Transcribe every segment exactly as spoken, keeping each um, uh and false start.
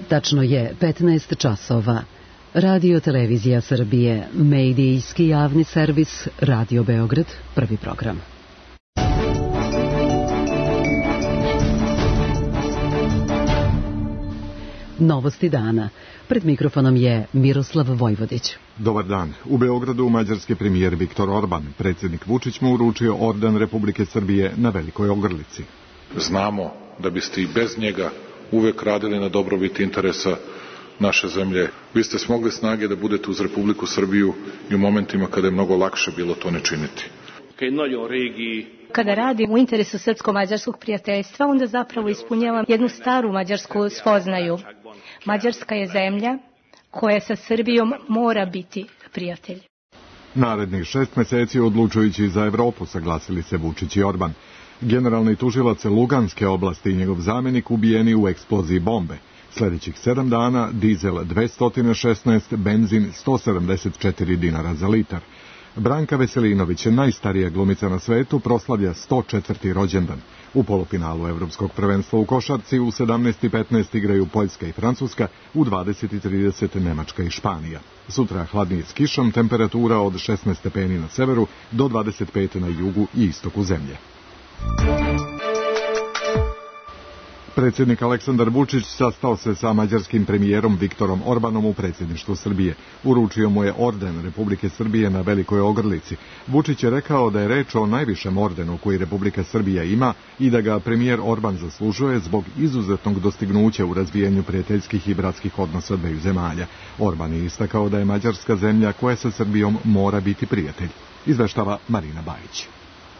Tačno je petnaest časova. Radio Televizija Srbije, medijski javni servis, Radio Beograd, prvi program. Novosti dana. Pred mikrofonom je Miroslav Vojvodić. Dobar dan. U Beogradu mađarski premijer Viktor Orban, predsjednik Vučić mu uručio orden Republike Srbije na Velikoj Ogrlici. Znamo da biste i bez njega uvek radili na dobrobit interesa naše zemlje. Vi ste smogli snage da budete uz Republiku Srbiju i u momentima kada je mnogo lakše bilo to ne činiti. Kada radim u interesu srpsko-mađarskog prijateljstva, onda zapravo ispunjavam jednu staru mađarsku spoznaju. Mađarska je zemlja koja sa Srbijom mora biti prijatelj. Narednih šest meseci odlučujući za Evropu, saglasili se Vučić i Orban. Generalni tužilac Luganske oblasti i njegov zamjenik ubijeni u eksploziji bombe. Sljedećih sedam dana dizel dvesta šesnaest, benzin sto sedamdeset četiri dinara za litar. Branka Veselinović, najstarija glumica na svetu, proslavlja sto četvrti rođendan. U polufinalu Evropskog prvenstva u košarci u sedamnaest i petnaest igraju Poljska i Francuska, u dvadeset i trideset Nemačka i Španija. Sutra hladnije s kišom, temperatura od šesnaest stepeni na severu do dvadeset pet na jugu i istoku zemlje. Predsjednik Aleksandar Vučić sastao se sa mađarskim premijerom Viktorom Orbanom u predsjedništvu Srbije. Uručio mu je orden Republike Srbije na Velikoj Ogrlici. Vučić je rekao da je reč o najvišem ordenu koji Republika Srbija ima i da ga premijer Orban zaslužuje zbog izuzetnog dostignuća u razvijanju prijateljskih i bratskih odnosa dveju zemalja. Orban je istakao da je Mađarska zemlja koja sa Srbijom mora biti prijatelj. Izveštava Marina Bajić.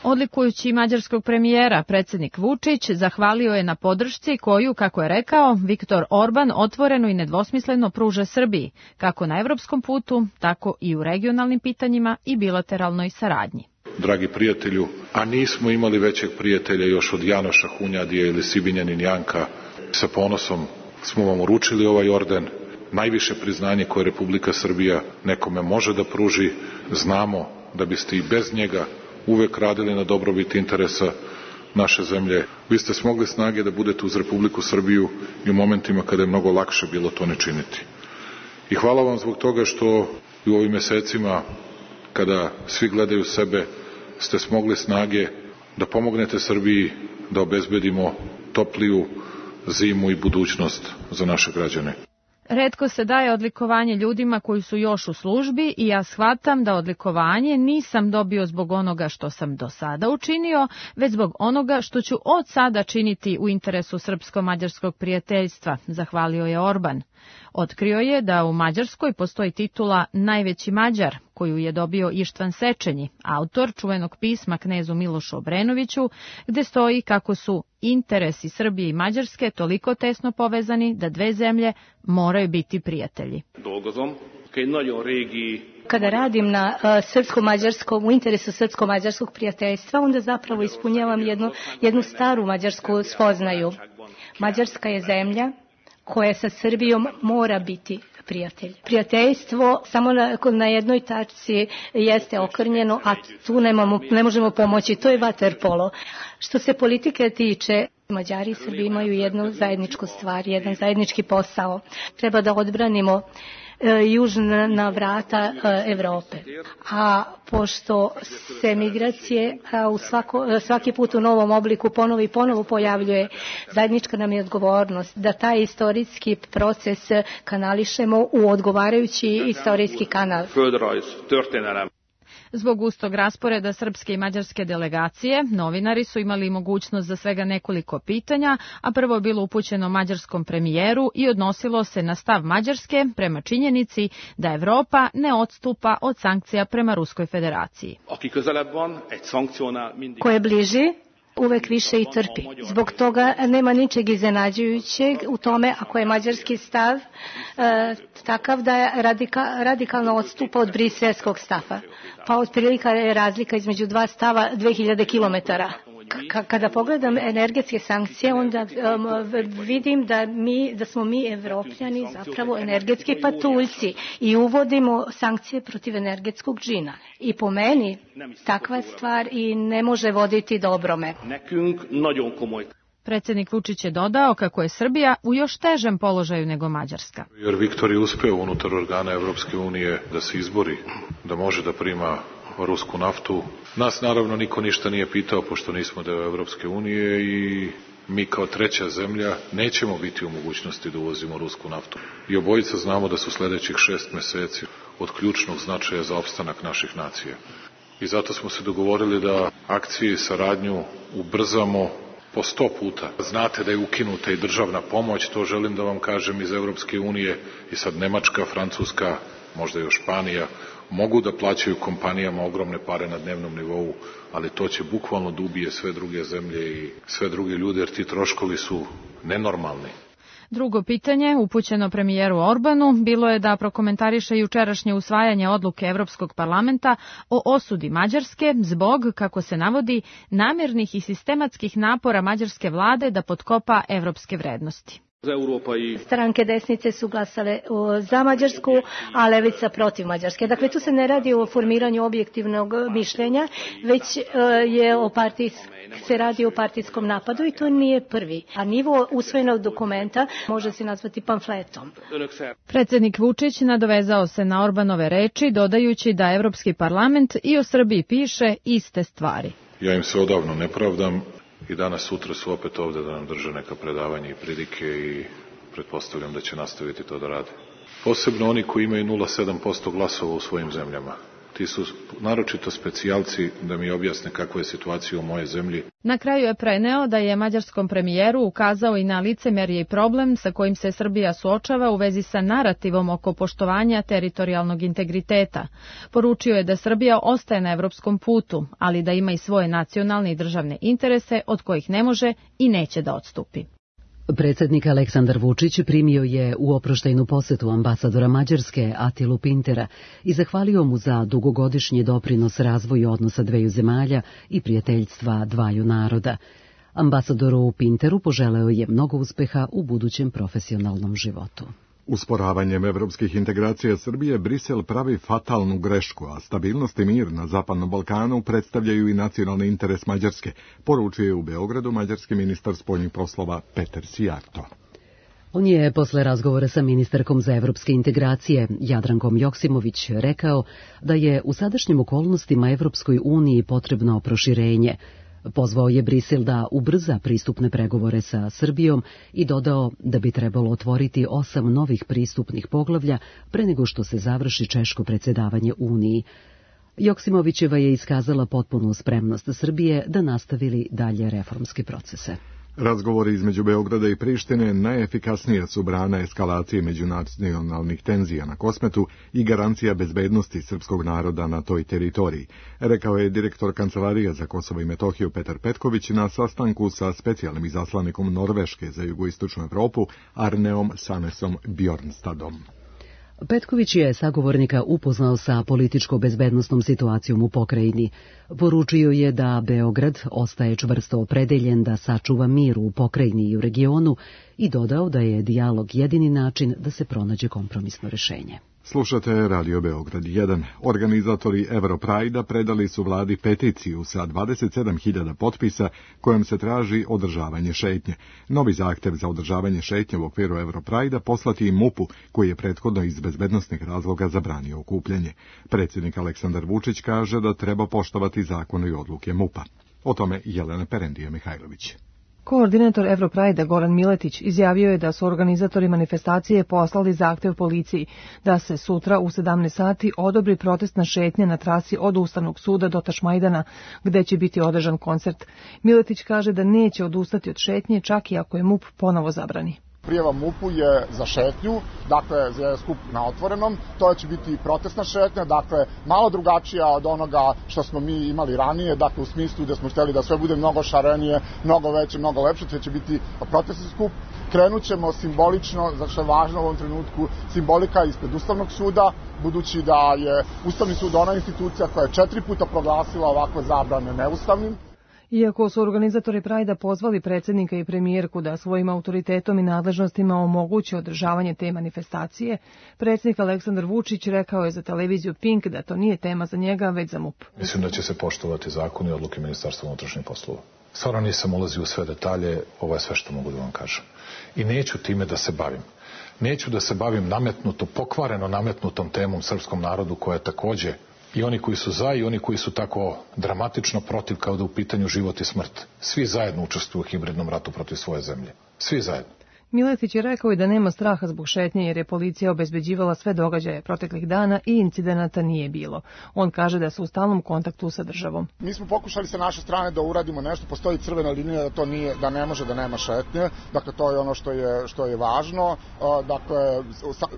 Odlikujući mađarskog premijera, predsjednik Vučić zahvalio je na podršci koju, kako je rekao, Viktor Orban otvoreno i nedvosmisleno pruža Srbiji, kako na evropskom putu, tako i u regionalnim pitanjima i bilateralnoj saradnji. Dragi prijatelju, a nismo imali većeg prijatelja još od Janoša Hunjadija ili Sibinjanin Janka, sa ponosom smo vam uručili ovaj orden, najviše priznanje koje Republika Srbija nekome može da pruži. Znamo da biste i bez njega uvek radili na dobrobit interesa naše zemlje. Vi ste smogli snage da budete uz Republiku Srbiju i u momentima kada je mnogo lakše bilo to ne činiti. I hvala vam zbog toga što u ovim mesecima, kada svi gledaju sebe, ste smogli snage da pomognete Srbiji da obezbedimo topliju zimu i budućnost za naše građane. Retko se daje odlikovanje ljudima koji su još u službi i ja shvatam da odlikovanje nisam dobio zbog onoga što sam do sada učinio, već zbog onoga što ću od sada činiti u interesu srpsko-mađarskog prijateljstva, zahvalio je Orban. Otkrio je da u Mađarskoj postoji titula Najveći Mađar, koju je dobio Ištvan Sečenji, autor čuvenog pisma knezu Milošu Obrenoviću, gde stoji kako su interesi Srbije i Mađarske toliko tesno povezani da dve zemlje moraju biti prijatelji. Kada radim na uh, srpsko-mađarskom, u interesu srpsko-mađarskog prijateljstva, onda zapravo ispunjavam jednu, jednu staru mađarsku spoznaju. Mađarska je zemlja koja sa Srbijom mora biti prijatelj. Prijateljstvo samo na, na jednoj tačci jeste okrnjeno, a tu nemamo, ne možemo pomoći, to je vaterpolo. Što se politike tiče, Mađari i Srbi imaju jednu zajedničku stvar, jedan zajednički posao. Treba da odbranimo južna vrata Evrope. A pošto se migracije u svako, svaki put u novom obliku ponovo i ponovo pojavljuje, zajednička nam je odgovornost da taj istorijski proces kanališemo u odgovarajući istorijski kanal. Zbog gustog rasporeda srpske i mađarske delegacije, novinari su imali mogućnost za svega nekoliko pitanja, a prvo je bilo upućeno mađarskom premijeru i odnosilo se na stav Mađarske prema činjenici da Evropa ne odstupa od sankcija prema Ruskoj federaciji. Ko je bliži, uvek više i trpi. Zbog toga nema ničeg iznenađujućeg u tome ako je mađarski stav e, takav da je radika, radikalno odstupa od briselskog stava. Pa otprilika je razlika između dva stava dve hiljade kilometara. K- kada pogledam energetske sankcije, onda um, vidim da, mi, da smo mi Evropljani zapravo energetski patuljci i uvodimo sankcije protiv energetskog džina. I po meni takva stvar i ne može voditi dobrome. Predsjednik Vučić je dodao kako je Srbija u još težem položaju nego Mađarska. Jer Viktor je uspeo unutar organa Evropske unije da se izbori, da može da prima rusku naftu. Nas naravno niko ništa nije pitao, pošto nismo deo Evropske unije i mi kao treća zemlja nećemo biti u mogućnosti da uvozimo rusku naftu. I obojica znamo da su sledećih šest meseci od ključnog značaja za opstanak naših nacija. I zato smo se dogovorili da akcije i saradnju ubrzamo po sto puta. Znate da je ukinuta i državna pomoć, to želim da vam kažem, iz Evropske unije, i sad Nemačka, Francuska, možda još Španija, mogu da plaćaju kompanijama ogromne pare na dnevnom nivou, ali to će bukvalno da ubije sve druge zemlje i sve druge ljude, jer ti troškovi su nenormalni. Drugo pitanje, upućeno premijeru Orbanu, bilo je da prokomentariše jučerašnje usvajanje odluke Evropskog parlamenta o osudi Mađarske zbog, kako se navodi, namernih i sistematskih napora mađarske vlade da potkopa evropske vrednosti. Stranke desnice su glasale za Mađarsku, a levica protiv Mađarske. Dakle, tu se ne radi o formiranju objektivnog mišljenja, već je o partijs, se radi o partijskom napadu i to nije prvi. A nivo usvojenog dokumenta može se nazvati pamfletom. Predsjednik Vučić nadovezao se na Orbanove reči, dodajući da Evropski parlament i o Srbiji piše iste stvari. Ja im se odavno ne pravdam. I danas, sutra su opet ovde da nam drže neka predavanja i pridike i pretpostavljam da će nastaviti to da rade. Posebno oni koji imaju nula zarez sedam posto glasova u svojim zemljama. Ti su naročito specijalci da mi objasne kakva je situacija u moje zemlji. Na kraju je preneo da je mađarskom premijeru ukazao i na licemerje i problem sa kojim se Srbija suočava u vezi sa narativom oko poštovanja teritorijalnog integriteta. Poručio je da Srbija ostaje na evropskom putu, ali da ima i svoje nacionalne i državne interese od kojih ne može i neće da odstupi. Predsjednik Aleksandar Vučić primio je u oproštajnu posetu ambasadora Mađarske Atilu Pintera i zahvalio mu za dugogodišnji doprinos razvoju odnosa dveju zemalja i prijateljstva dvaju naroda. Ambasadoru Pinteru poželeo je mnogo uspeha u budućem profesionalnom životu. Usporavanjem evropskih integracija Srbije Brisel pravi fatalnu grešku, a stabilnost i mir na Zapadnom Balkanu predstavljaju i nacionalni interes Mađarske, poručuje u Beogradu mađarski ministar spoljnih poslova Peter Sijarto. On je posle razgovora sa ministarkom za evropske integracije Jadrankom Joksimović rekao da je u sadašnjim okolnostima Evropskoj uniji potrebno proširenje. Pozvao je Brisel da ubrza pristupne pregovore sa Srbijom i dodao da bi trebalo otvoriti osam novih pristupnih poglavlja pre nego što se završi češko predsjedavanje Uniji. Joksimovićeva je iskazala potpunu spremnost Srbije da nastavili dalje reformske procese. Razgovori između Beograda i Prištine najefikasnija su brana eskalacije međunacionalnih tenzija na Kosmetu i garancija bezbednosti srpskog naroda na toj teritoriji, rekao je direktor Kancelarije za Kosovo i Metohiju Petar Petković na sastanku sa specijalnim izaslanikom Norveške za jugoistočnu Evropu Arneom Sanesom Bjornstadom. Petković je sagovornika upoznao sa političko-bezbednosnom situacijom u pokrajini. Poručio je da Beograd ostaje čvrsto opredeljen da sačuva mir u pokrajini i u regionu i dodao da je dijalog jedini način da se pronađe kompromisno rešenje. Slušate Radio Beograd jedan. Organizatori Europride-a predali su vladi peticiju sa dvadeset sedam hiljada potpisa kojom se traži održavanje šetnje. Novi zahtev za održavanje šetnje u okviru Europride-a poslati i MUP-u, koji je prethodno iz bezbednosnih razloga zabranio okupljanje. Predsjednik Aleksandar Vučić kaže da treba poštovati zakone i odluke MUP-a. O tome Jelena Perendija Mihajlović. Koordinator Europride-a Goran Miletić izjavio je da su organizatori manifestacije poslali zahtev policiji da se sutra u sedamnaest sati odobri protestna šetnja na trasi od Ustavnog suda do Tašmajdana, gde će biti održan koncert. Miletić kaže da neće odustati od šetnje čak i ako je MUP ponovo zabrani. Prijava MUP-u je za šetnju, dakle za skup na otvorenom, to će biti protestna šetnja, dakle malo drugačija od onoga što smo mi imali ranije, dakle u smislu da smo htjeli da sve bude mnogo šarenije, mnogo veće, mnogo lepše, to će biti protestni skup. Krenut ćemo simbolično, zato što je važno u ovom trenutku simbolika ispred Ustavnog suda, budući da je Ustavni sud ona institucija koja je četiri puta proglasila ovakve zabrane neustavnim. Iako su organizatori Prajda pozvali predsjednika i premijerku da svojim autoritetom i nadležnostima omoguće održavanje te manifestacije, predsjednik Aleksandar Vučić rekao je za televiziju Pink da to nije tema za njega, već za MUP. Mislim da će se poštovati zakoni i odluke Ministarstva unutrašnjih poslova. Stvarno nisam ulazio u sve detalje, ovo je sve što mogu da vam kažem. I neću time da se bavim. Neću da se bavim nametnuto, pokvareno nametnutom temom srpskom narodu koja je takođe i oni koji su za i oni koji su tako dramatično protiv kao da u pitanju život i smrt. Svi zajedno učestvuju u hibridnom ratu protiv svoje zemlje. Svi zajedno. Miletić je rekao i da nema straha zbog šetnje jer je policija obezbeđivala sve događaje proteklih dana i incidenata nije bilo. On kaže da su u stalnom kontaktu sa državom. Mi smo pokušali sa naše strane da uradimo nešto, postoji crvena linija da to nije, da ne može da nema šetnje, dakle to je ono što je, što je važno, dakle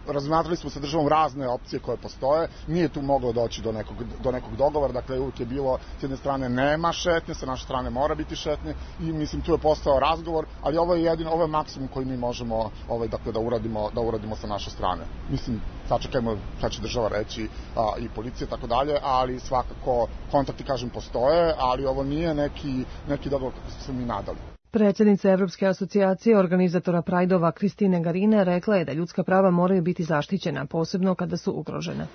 razmatrali smo sa državom razne opcije koje postoje, nije tu moglo doći do nekog, do nekog dogovora, dakle uvijek je bilo s jedne strane nema šetnje, sa naše strane mora biti šetnje i mislim tu je postao razgovor, ali ovo je jedino, ovo je maksimum koji mi možemo ovaj, dakle, da, uradimo, da uradimo sa naše strane. Mislim, sačekajmo šta će država reći a, i policija tako dalje, ali svakako kontakti, kažem, postoje, ali ovo nije neki, neki dogovor kako smo se mi nadali. Predsjednica Evropske asocijacije organizatora Prajdova Kristine Garine rekla je da ljudska prava moraju biti zaštićena, posebno kada su ugrožena.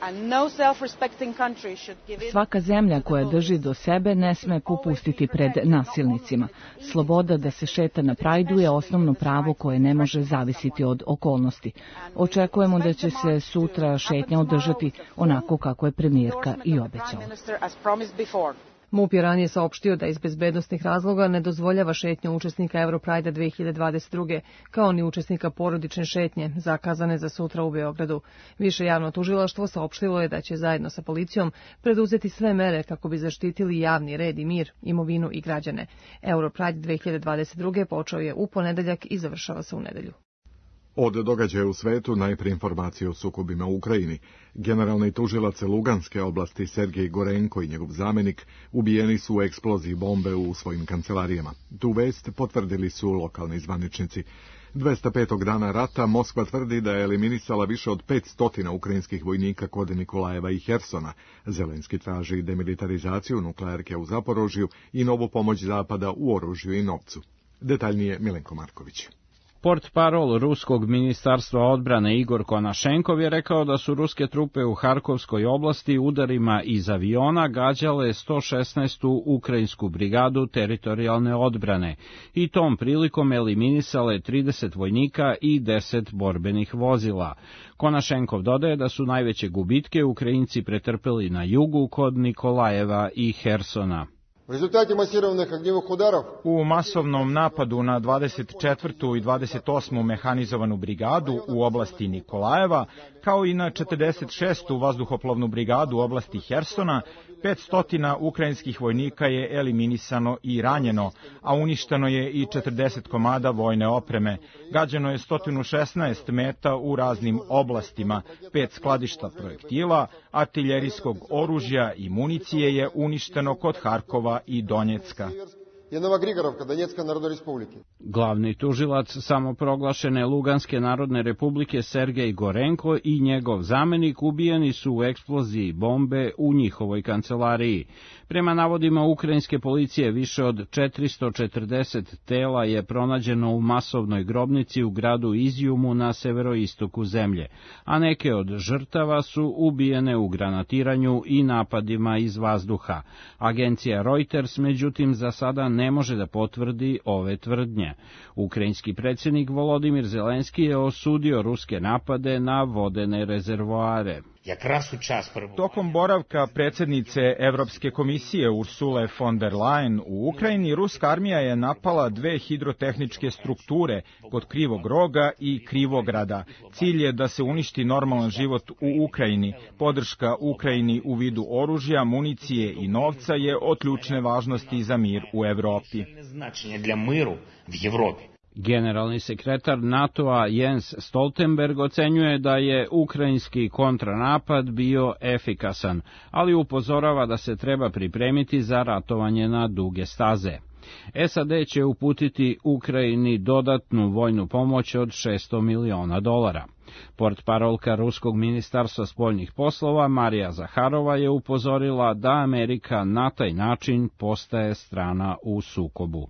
Svaka zemlja koja drži do sebe ne sme popustiti pred nasilnicima. Sloboda da se šeta na Prajdu je osnovno pravo koje ne može zavisiti od okolnosti. Očekujemo da će se sutra šetnja održati onako kako je premijerka i obećala. MUP je ranije saopštio da iz bezbednosnih razloga ne dozvoljava šetnju učesnika Europrajda dve hiljade dvadeset druge, kao ni učesnika porodične šetnje, zakazane za sutra u Beogradu. Više javno tužilaštvo saopštilo je da će zajedno sa policijom preduzeti sve mere kako bi zaštitili javni red i mir, imovinu i građane. Europride dve hiljade dvadeset druge počeo je u ponedeljak i završava se u nedelju. Od događaja u svetu najprije informacije o sukobima u Ukrajini. Generalni tužilac Luganske oblasti Sergej Gorenko i njegov zamenik ubijeni su u eksploziji bombe u svojim kancelarijama. Tu vest potvrdili su lokalni zvaničnici. dvesta petog dana rata Moskva tvrdi da je eliminisala više od petsto ukrajinskih vojnika kod Nikolajeva i Hersona. Zelenski traži demilitarizaciju nuklearke u Zaporožju i novu pomoć Zapada u oružju i novcu. Detaljnije Milenko Marković. Portparol ruskog ministarstva odbrane Igor Konašenkov je rekao da su ruske trupe u Harkovskoj oblasti udarima iz aviona gađale sto šesnaestu ukrajinsku brigadu teritorijalne odbrane i tom prilikom eliminisale trideset vojnika i deset borbenih vozila. Konašenkov dodaje da su najveće gubitke Ukrajinci pretrpeli na jugu kod Nikolajeva i Hersona. U masovnom napadu na dvadeset četvrtu i dvadeset osmu mehanizovanu brigadu u oblasti Nikolajeva, kao i na četrdeset šestu vazduhoplovnu brigadu u oblasti Hersona, petsto ukrajinskih vojnika je eliminisano i ranjeno, a uništeno je i četrdeset komada vojne opreme. Gađano je sto šesnaest meta u raznim oblastima, pet skladišta projektila, artiljerijskog oružja i municije je uništeno kod Harkova i Donjecka. Glavni tužilac samoproglašene Luganske narodne republike Sergej Gorenko i njegov zamenik ubijeni su u eksploziji bombe u njihovoj kancelariji. Prema navodima ukrajinske policije, više od četiristo četrdeset tela je pronađeno u masovnoj grobnici u gradu Izjumu na severoistoku zemlje, a neke od žrtava su ubijene u granatiranju i napadima iz vazduha. Agencija Reuters, međutim, za sada ne može da potvrdi ove tvrdnje. Ukrajinski predsjednik Volodimir Zelenski je osudio ruske napade na vodene rezervoare. Tokom boravka predsjednice Evropske komisije Ursule von der Leyen u Ukrajini, ruska armija je napala dve hidrotehničke strukture kod Krivog Roga i Krivograda. Cilj je da se uništi normalan život u Ukrajini. Podrška Ukrajini u vidu oružja, municije i novca je od ključne važnosti za mir u Evropi. Generalni sekretar NATO-a Jens Stoltenberg ocenjuje da je ukrajinski kontranapad bio efikasan, ali upozorava da se treba pripremiti za ratovanje na duge staze. S A D će uputiti Ukrajini dodatnu vojnu pomoć od šesto miliona dolara. Portparolka Ruskog ministarstva spoljnih poslova Marija Zaharova je upozorila da Amerika na taj način postaje strana u sukobu.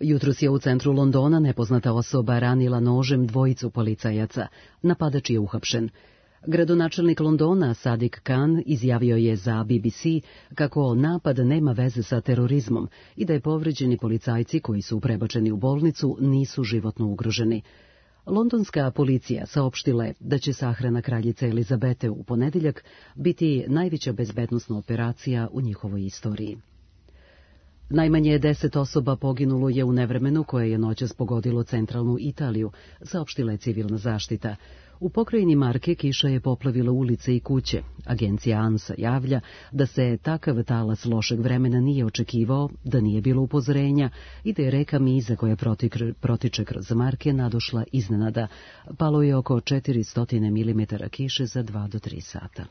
Jutros je u centru Londona nepoznata osoba ranila nožem dvojicu policajaca. Napadač je uhapšen. Gradonačelnik Londona Sadiq Khan izjavio je za B B C kako napad nema veze sa terorizmom i da je povređeni policajci koji su prebačeni u bolnicu nisu životno ugroženi. Londonska policija saopštila je da će sahrana kraljice Elizabete u ponedeljak biti najveća bezbednosna operacija u njihovoj istoriji. Najmanje deset osoba poginulo je u nevremenu koje je noćas pogodilo centralnu Italiju, saopštila je civilna zaštita. U pokrajini Marke kiša je poplavila ulice i kuće. Agencija ANSA javlja da se takav talas lošeg vremena nije očekivao, da nije bilo upozorenja i da je reka Miza koja protiče kroz Marke nadošla iznenada. Palo je oko četiristo milimetara kiše za dva do tri sata.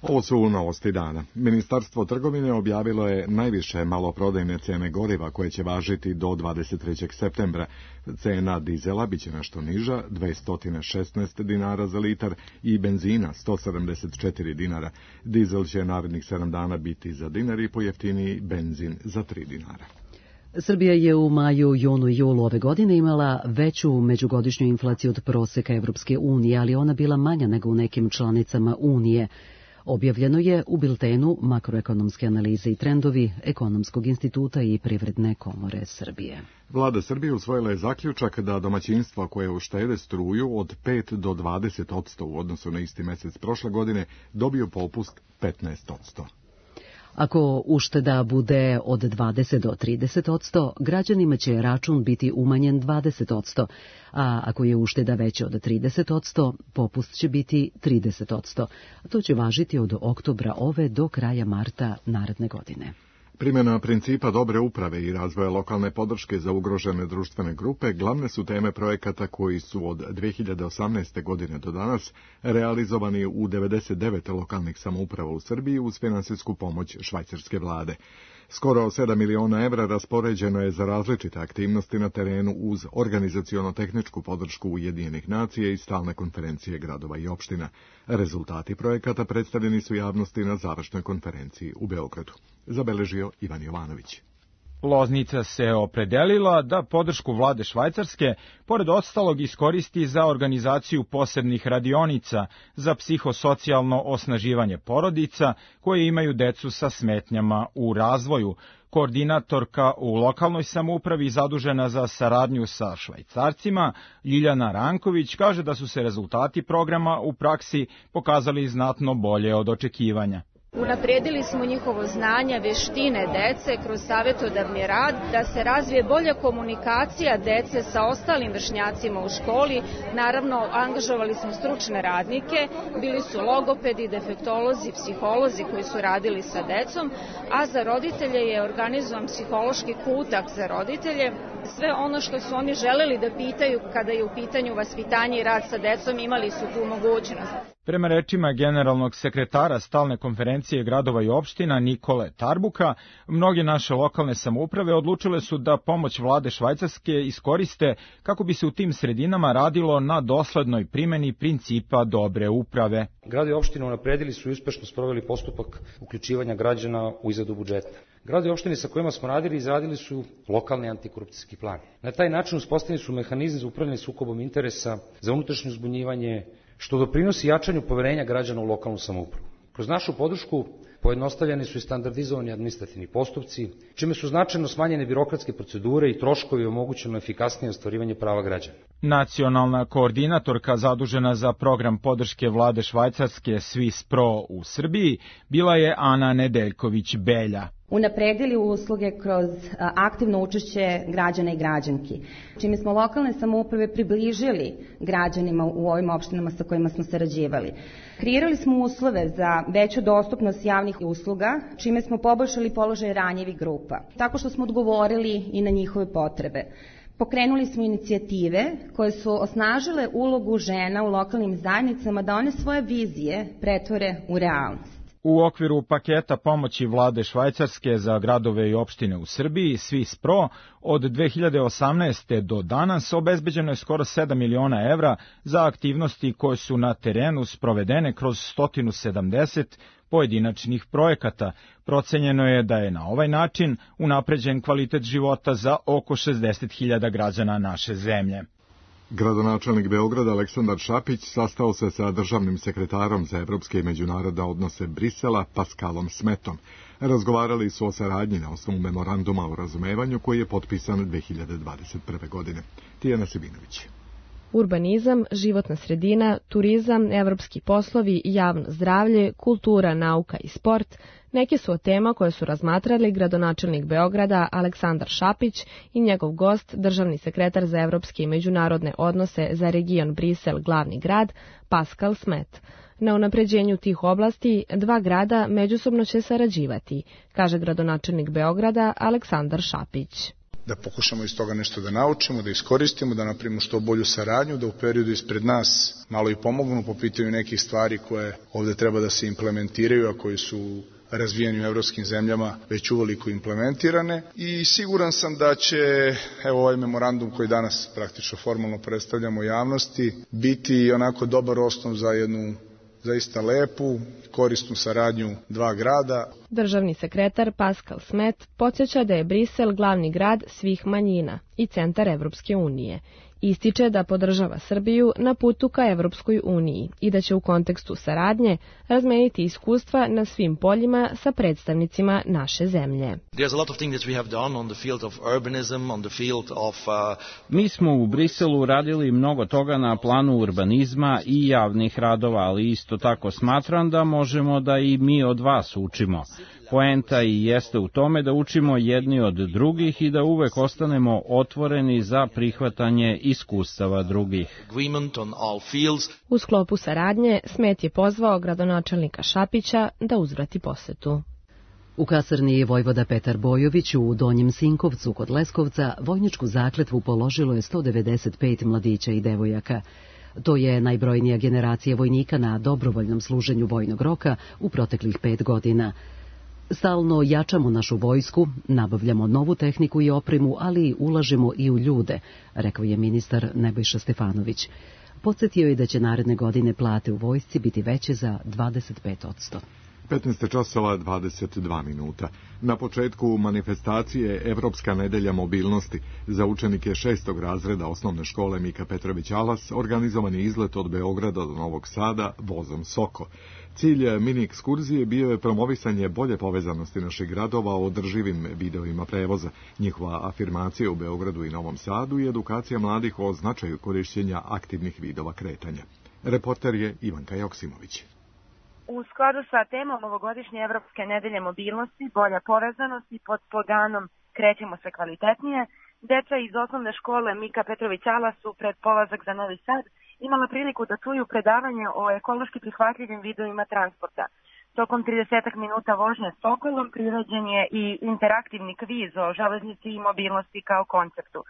Ovo su novosti dana. Ministarstvo trgovine objavilo je najviše maloprodajne cene goriva koje će važiti do dvadeset trećeg septembra. Cena dizela biće nešto niža, dvesta šesnaest dinara za litar i benzina sto sedamdeset četiri dinara. Dizel će narednih sedam dana biti za dinar i pojeftiniji benzin za tri dinara. Srbija je u maju, junu i julu ove godine imala veću međugodišnju inflaciju od proseka Evropske unije, ali ona bila manja nego u nekim članicama Unije. Objavljeno je u biltenu Makroekonomske analize i trendovi Ekonomskog instituta i Privredne komore Srbije. Vlada Srbije usvojila je zaključak da domaćinstva koje uštede struju od pet do dvadeset odsto u odnosu na isti mesec prošle godine dobiju popust petnaest odsto. Ako ušteda bude od dvadeset do trideset odsto, građanima će račun biti umanjen dvadeset odsto, a ako je ušteda veća od trideset odsto, popust će biti trideset odsto. To će važiti od oktobra ove do kraja marta naredne godine. Primjena principa dobre uprave i razvoja lokalne podrške za ugrožene društvene grupe glavne su teme projekata koji su od dve hiljade osamnaeste. godine do danas realizovani u devedeset devet lokalnih samouprava u Srbiji uz finansijsku pomoć švajcarske vlade. Skoro sedam miliona evra raspoređeno je za različite aktivnosti na terenu uz organizaciono-tehničku podršku Ujedinjenih nacija i stalne konferencije gradova i opština. Rezultati projekata predstavljeni su javnosti na završnoj konferenciji u Beogradu. Zabeležio Ivan Jovanović. Loznica se opredelila da podršku vlade Švajcarske, pored ostalog, iskoristi za organizaciju posebnih radionica za psihosocijalno osnaživanje porodica koje imaju decu sa smetnjama u razvoju. Koordinatorka u lokalnoj samoupravi zadužena za saradnju sa Švajcarcima, Ljiljana Ranković, kaže da su se rezultati programa u praksi pokazali znatno bolje od očekivanja. Unapredili smo njihovo znanje, veštine dece kroz savjetodavni rad, da se razvije bolja komunikacija dece sa ostalim vršnjacima u školi. Naravno, angažovali smo stručne radnike, bili su logopedi, defektolozi, psiholozi koji su radili sa decom, a za roditelje je organizovan psihološki kutak za roditelje. Sve ono što su oni želeli da pitaju kada je u pitanju vaspitanje i rad sa decom, imali su tu mogućnost. Prema rečima generalnog sekretara stalne konferencije gradova i opština Nikole Tarbuka, mnoge naše lokalne samouprave odlučile su da pomoć vlade Švajcarske iskoriste kako bi se u tim sredinama radilo na doslednoj primjeni principa dobre uprave. Gradovi i opštine unapredili su i uspešno sproveli postupak uključivanja građana u izradu budžeta. Gradovi i opštine sa kojima smo radili izradili su lokalni antikorupcijski plan. Na taj način uspostavljeni su mehanizmi za upravljanje sukobom interesa, za unutrašnje uzbunjivanje, što doprinosi jačanju poverenja građana u lokalnu samoupravu. Kroz našu podršku pojednostavljeni su i standardizovani administrativni postupci, čime su značajno smanjene birokratske procedure i troškovi i omogućeno efikasnije ostvarivanje prava građana. Nacionalna koordinatorka zadužena za program podrške vlade Švajcarske Swiss Pro u Srbiji bila je Ana Nedeljković-Belja. Unapredili usluge kroz aktivno učešće građana i građanki, čime smo lokalne samouprave približili građanima u ovim opštinama sa kojima smo sarađivali. Kreirali smo uslove za veću dostupnost javnih usluga, čime smo poboljšali položaj ranjivih grupa, tako što smo odgovorili i na njihove potrebe. Pokrenuli smo inicijative koje su osnažile ulogu žena u lokalnim zajednicama da one svoje vizije pretvore u realnost. U okviru paketa pomoći vlade Švajcarske za gradove i opštine u Srbiji, Swiss Pro, od dve hiljade osamnaeste. do danas obezbeđeno je skoro sedam miliona evra za aktivnosti koje su na terenu sprovedene kroz sto sedamdeset pojedinačnih projekata. Procenjeno je da je na ovaj način unapređen kvalitet života za oko šezdeset hiljada građana naše zemlje. Gradonačelnik Beograda Aleksandar Šapić sastao se sa državnim sekretarom za evropske i međunarodne odnose Brisela Pascalom Smetom. Razgovarali su o saradnji na osnovu memoranduma o razumevanju koji je potpisan dve hiljade dvadeset prve. godine. Tijana Sibinović. Urbanizam, životna sredina, turizam, evropski poslovi, javno zdravlje, kultura, nauka i sport neke su od tema koje su razmatrali gradonačelnik Beograda Aleksandar Šapić i njegov gost, državni sekretar za evropske i međunarodne odnose za region Brisel, glavni grad, Pascal Smet. Na unapređenju tih oblasti dva grada međusobno će sarađivati, kaže gradonačelnik Beograda Aleksandar Šapić. Da pokušamo iz toga nešto da naučimo, da iskoristimo, da napravimo što bolju saradnju, da u periodu ispred nas malo i pomognu po pitanju nekih stvari koje ovde treba da se implementiraju, a koji su razvijeni u evropskim zemljama već uveliko implementirane. I siguran sam da će evo ovaj memorandum koji danas praktično formalno predstavljamo javnosti biti onako dobar osnov za jednu zaista lepu, korisnu saradnju dva grada. Državni sekretar Pascal Smet podsjeća da je Brisel glavni grad svih manjina i centar Evropske unije. Ističe da podržava Srbiju na putu ka Evropskoj uniji i da će u kontekstu saradnje razmeniti iskustva na svim poljima sa predstavnicima naše zemlje. Mi smo u Briselu radili mnogo toga na planu urbanizma i javnih radova, ali isto tako smatram da možemo da i mi od vas učimo. Poenta i jeste u tome da učimo jedni od drugih i da uvek ostanemo otvoreni za prihvatanje iskustava drugih. U sklopu saradnje Smet je pozvao gradonačelnika Šapića da uzvrati posetu. U kasarni Vojvoda Petar Bojović u Donjem Sinkovcu kod Leskovca vojničku zakletvu položilo je sto devedeset pet mladića i devojaka. To je najbrojnija generacija vojnika na dobrovoljnom služenju vojnog roka u proteklih pet godina. Stalno jačamo našu vojsku, nabavljamo novu tehniku i opremu, ali ulažemo i u ljude, rekao je ministar Nebojša Stefanović. Podsjetio je da će naredne godine plate u vojsci biti veće za dvadeset pet posto. petnaest časova dvadeset dva minuta. Na početku manifestacije Evropska nedelja mobilnosti za učenike šestog razreda osnovne škole Mika Petrović Alas organizovan je izlet od Beograda do Novog Sada vozom Soko. Cilj mini ekskurzije bio je promovisanje bolje povezanosti naših gradova o održivim vidovima prevoza, njihova afirmacija u Beogradu i Novom Sadu i edukacija mladih o značaju korišćenja aktivnih vidova kretanja. Reporter je Ivanka Joksimović. U skladu sa temom ovogodišnje Evropske nedelje mobilnosti, bolja povezanost i pod sloganom Krećemo se kvalitetnije, deca iz osnovne škole Mika Petrović Alas su pred polazak za Novi Sad imala priliku da čuju predavanje o ekološki prihvatljivim vidovima transporta. Tokom trideset minuta vožnje Sokolom priređen je i interaktivni kviz o železnici i mobilnosti kao konceptu.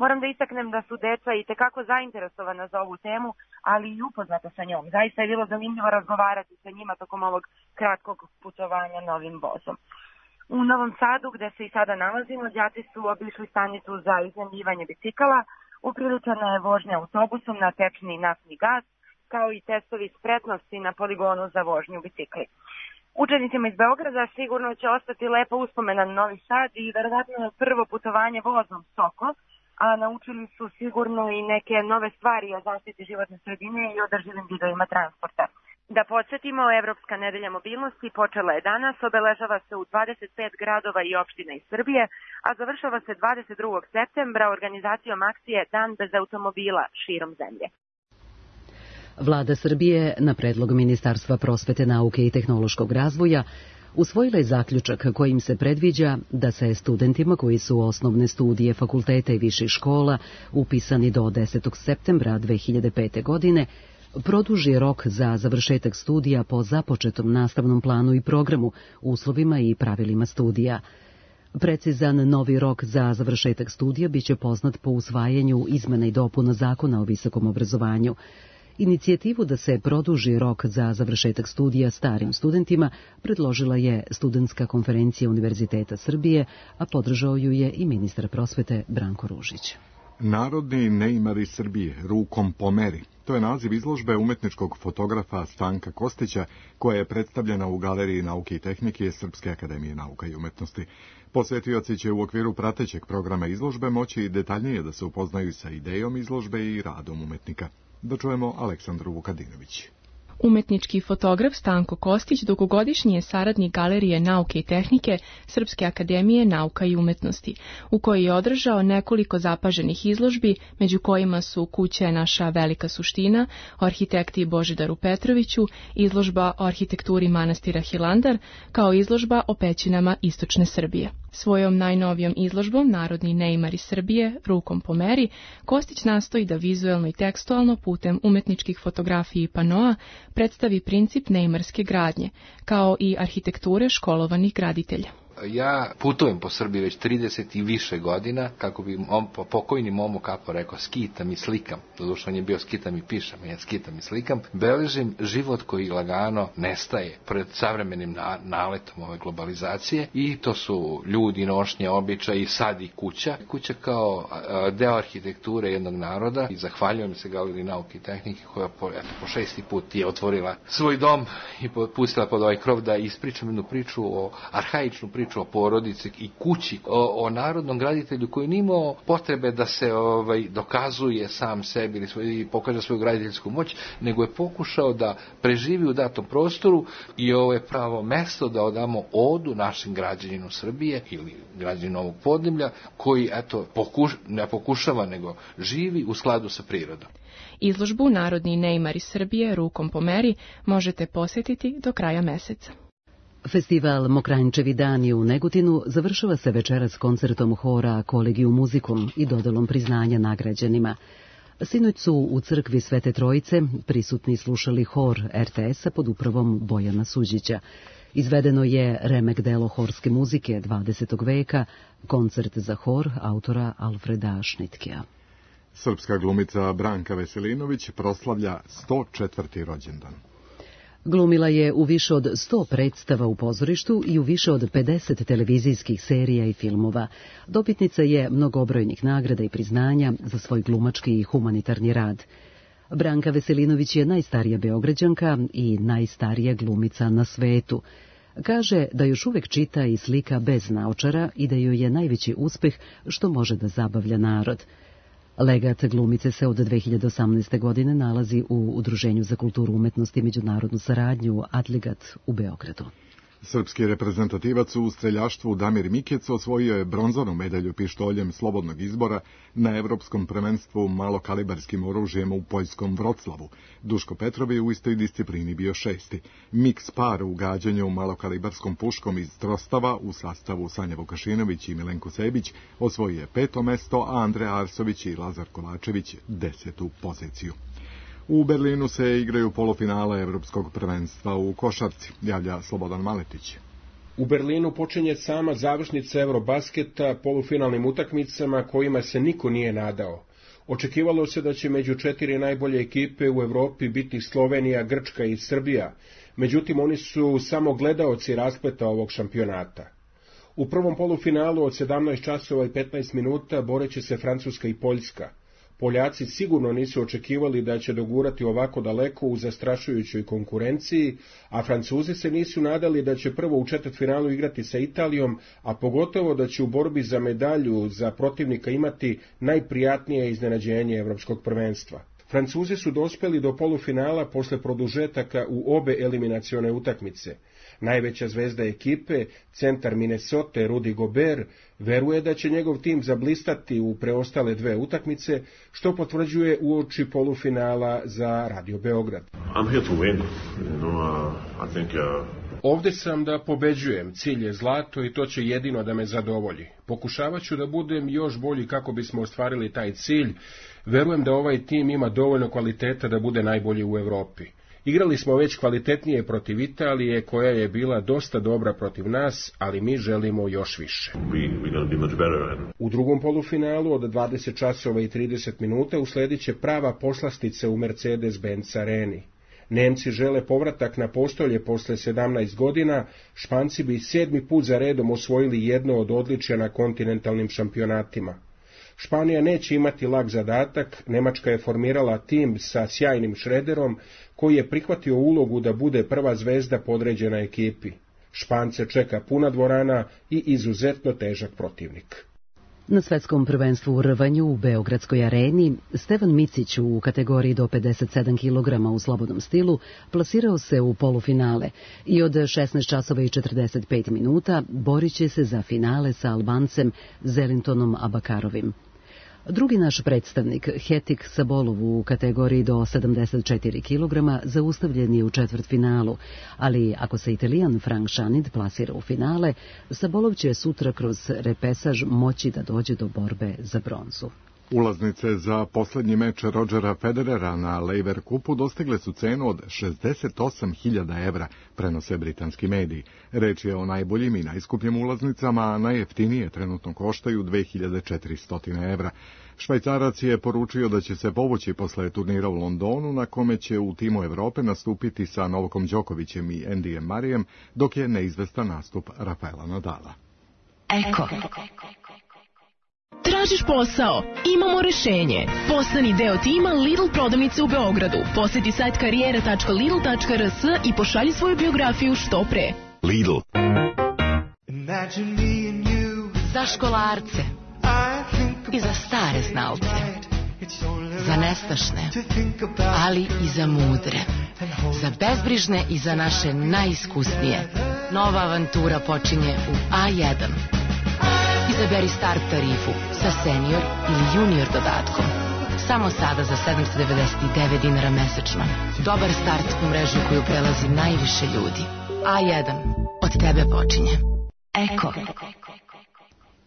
Moram da istaknem da su deca i tekako zainteresovana za ovu temu, ali i upoznata sa njom. Zaista je bilo zanimljivo razgovarati sa njima tokom ovog kratkog putovanja novim vozom. U Novom Sadu, gde se i sada nalazimo, đaci su obišli stanicu za iznajmljivanje bicikala, upriličena je vožnja autobusom na tečni naftni gas, kao i testovi spretnosti na poligonu za vožnju bicikli. Učenicima iz Beograda sigurno će ostati lepa uspomena na Novi Sad i verovatno prvo putovanje vozom Soko, a naučili su sigurno i neke nove stvari o zaštiti životne sredine i održivim vidovima transporta. Da podsjetimo, Evropska nedelja mobilnosti počela je danas, obeležava se u dvadeset pet gradova i opština iz Srbije, a završava se dvadeset drugog septembra organizacijom akcije Dan bez automobila širom zemlje. Vlada Srbije, na predlog Ministarstva prosvete, nauke i tehnološkog razvoja, usvojila je zaključak kojim se predviđa da se studentima koji su osnovne studije fakulteta i viših škola upisani do desetog septembra dve hiljade pete. godine produži rok za završetak studija po započetom nastavnom planu i programu, uslovima i pravilima studija. Precizan novi rok za završetak studija biće poznat po usvajanju izmena i dopuna Zakona o visokom obrazovanju. Inicijativu da se produži rok za završetak studija starim studentima predložila je Studentska konferencija Univerziteta Srbije, a podržao ju je i ministar prosvete Branko Ružić. Narodni neimari Srbije, rukom po meri. To je naziv izložbe umetničkog fotografa Stanka Kostića, koja je predstavljena u Galeriji nauke i tehnike Srpske akademije nauka i umetnosti. Posvetioci će u okviru pratećeg programa izložbe moći detaljnije da se upoznaju sa idejom izložbe i radom umetnika. Da čujemo Aleksandru Vukadinović. Umetnički fotograf Stanko Kostić dugogodišnji je saradnik Galerije nauke i tehnike Srpske akademije nauka i umetnosti, u kojoj je održao nekoliko zapaženih izložbi, među kojima su Kuća je naša velika suština, o arhitekti Božidaru Petroviću, izložba o arhitekturi manastira Hilandar, kao izložba o pećinama istočne Srbije. Svojom najnovijom izložbom Narodni neimari Srbije, rukom po meri, Kostić nastoji da vizuelno i tekstualno putem umetničkih fotografija i panoa predstavi princip neimarske gradnje, kao i arhitekture školovanih graditelja. Ja putujem po Srbiji već trideset i više godina, kako bi mom, pokojni Momo Kapo rekao, skitam i slikam. Doduše on je bio skitam i pišem, ja skitam i slikam. Beležim život koji lagano nestaje pred savremenim na, naletom ove globalizacije, i to su ljudi, nošnje, običaji i sad i kuća. Kuća kao a, deo arhitekture jednog naroda, i zahvaljujem se Galeriji nauke i tehnike koja po, eto, po šesti put je otvorila svoj dom i pustila pod ovaj krov da ispričam jednu priču o arhaičnu priču o porodici i kući, o, o narodnom graditelju koji nije imao potrebe da se ovaj, dokazuje sam sebi ili svoj, pokaže svoju graditeljsku moć, nego je pokušao da preživi u datom prostoru, i ovo je pravo mesto da odamo odu našim građaninu Srbije ili građaninu ovog podneblja, koji eto, pokuš, ne pokušava nego živi u skladu sa prirodom. Izložbu Narodni neimari Srbije, rukom po meri možete posjetiti do kraja meseca. Festival Mokranjčevi dani u Negotinu završava se večeras koncertom hora Collegium Musicum i dodelom priznanja nagrađenima. Sinoć su u crkvi Svete Trojice prisutni slušali hor er te es-a pod upravom Bojana Suđića. Izvedeno je remek delo horske muzike dvadesetog veka, koncert za hor autora Alfreda Šnitkea. Srpska glumica Branka Veselinović proslavlja sto četvrti rođendan. Glumila je u više od sto predstava u pozorištu i u više od pedeset televizijskih serija i filmova. Dobitnica je mnogobrojnih nagrada i priznanja za svoj glumački i humanitarni rad. Branka Veselinović je najstarija Beograđanka i najstarija glumica na svetu. Kaže da još uvek čita i slika bez naočara i da joj je najveći uspeh što može da zabavlja narod. Legat glumice se od dve hiljade osamnaeste. godine nalazi u Udruženju za kulturu umetnosti i međunarodnu saradnju Adligat u Beogradu. Srpski reprezentativac u streljaštvu Damir Mikec osvojio je bronzanu medalju pištoljem slobodnog izbora na Evropskom prvenstvu malokalibarskim oružjem u poljskom Vroclavu. Duško Petrov je u istoj disciplini bio šesti. Miks par u gađanju malokalibarskom puškom iz Trostava u sastavu Sanja Vukašinović i Milenko Sebić osvojio je peto mesto, a Andreja Arsović i Lazar Kovačević desetu poziciju. U Berlinu se igraju polufinale Evropskog prvenstva u košarci, javlja Slobodan Maletić. U Berlinu počinje sama završnica Eurobasketa polufinalnim utakmicama kojima se niko nije nadao. Očekivalo se da će među četiri najbolje ekipe u Evropi biti Slovenija, Grčka i Srbija, međutim oni su samo gledaoci raspleta ovog šampionata. U prvom polufinalu od sedamnaest časova i petnaest minuta boreće se Francuska i Poljska. Poljaci sigurno nisu očekivali da će dogurati ovako daleko u zastrašujućoj konkurenciji, a Francuzi se nisu nadali da će prvo u četvrtfinalu igrati sa Italijom, a pogotovo da će u borbi za medalju za protivnika imati najprijatnije iznenađenje Evropskog prvenstva. Francuzi su dospeli do polufinala posle produžetaka u obe eliminacione utakmice. Najveća zvezda ekipe, centar Minnesota Rudy Gobert, veruje da će njegov tim zablistati u preostale dve utakmice, što potvrđuje uoči polufinala za Radio Beograd. I'm here to win. You know, uh, I think, uh... Ovde sam da pobeđujem, cilj je zlato i to će jedino da me zadovolji. Pokušavat ću da budem još bolji kako bismo ostvarili taj cilj. Verujem da ovaj tim ima dovoljno kvaliteta da bude najbolji u Evropi. Igrali smo već kvalitetnije protiv Italije, koja je bila dosta dobra protiv nas, ali mi želimo još više. U drugom polufinalu od dvadeset časova i trideset minuta usledit će prava poslastica u Mercedes-Benz areni. Nemci žele povratak na postolje posle sedamnaest godina, Španci bi sedmi put za redom osvojili jedno od odličja na kontinentalnim šampionatima. Španija neće imati lak zadatak, Nemačka je formirala tim sa sjajnim Šrederom, koji je prihvatio ulogu da bude prva zvezda podređena ekipi. Špance čeka puna dvorana i izuzetno težak protivnik. Na svetskom prvenstvu u rvanju u Beogradskoj areni, Stevan Micić u kategoriji do pedeset sedam kilograma u slobodnom stilu plasirao se u polufinale i od šesnaest časova i četrdeset pet minuta borit će se za finale sa Albancem Zelintonom Abakarovim. Drugi naš predstavnik, Hetik Sabolov u kategoriji do sedamdeset četiri kilograma, zaustavljen je u četvrtfinalu, ali ako se Italijan Frank Šanid plasira u finale, Sabolov će sutra kroz repesaž moći da dođe do borbe za bronzu. Ulaznice za posljednji meč Rodgera Federera na Laver Cupu dostigle su cenu od šezdeset osam hiljada evra, prenose britanski mediji. Reč je o najboljim i najskupljim ulaznicama, a najjeftinije trenutno koštaju dve hiljade četiristo evra. Švajcarac je poručio da će se povući posle turnira u Londonu, na kome će u timu Evrope nastupiti sa Novakom Đokovićem i Andyjem Marijem, dok je neizvestan nastup Rafaela Nadala. Eko. Tražiš posao? Imamo rešenje. Postani deo tima Lidl prodavnice u Beogradu. Posjeti sajt karijera tačka lidl tačka r s i pošalji svoju biografiju što pre. Lidl. Za školarce i za stare znalce, za nestašne, ali i za mudre, za bezbrižne i za naše najiskusnije. Nova avantura počinje u A jedan. Izaberi start tarifu sa senior ili junior dodatkom. Samo sada za sedamsto devedeset devet dinara mesečno. Dobar start u mrežu koju prelazi najviše ljudi. A jedan. Od tebe počinje. Eko.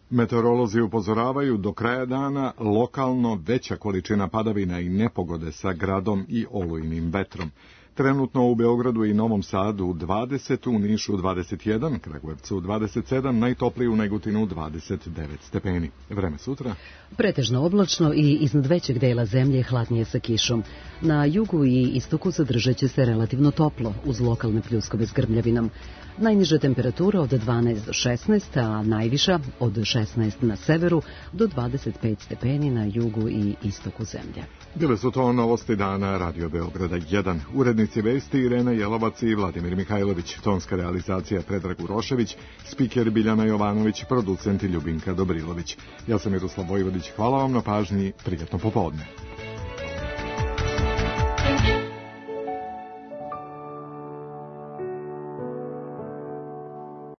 Meteorolozi upozoravaju do kraja dana lokalno veća količina padavina i nepogode sa gradom i olujnim vetrom. Trenutno u Beogradu i Novom Sadu dvadeset, u Nišu dvadeset jedan, Kragujevcu dvadeset sedam, najtopliji u Negotinu dvadeset devet stepeni. Vreme sutra? Pretežno oblačno i iznad većeg dela zemlje hladnije sa kišom. Na jugu i istoku zadržat će se relativno toplo, uz lokalne pljuskove s grmljavinom. Najniža temperatura od dvanaest do šesnaest, a najviša od šesnaest na severu do dvadeset pet stepeni na jugu i istoku zemlje. Bile su to novosti dana Radio Beograda jedan. Urednici vesti Irena Jelovac i Vladimir Mihajlović, tonska realizacija Predrag Urošević, spiker Biljana Jovanović, producent Ljubinka Dobrilović. Ja sam Miroslav Vojvodić, hvala vam na pažnji, prijatno popodne.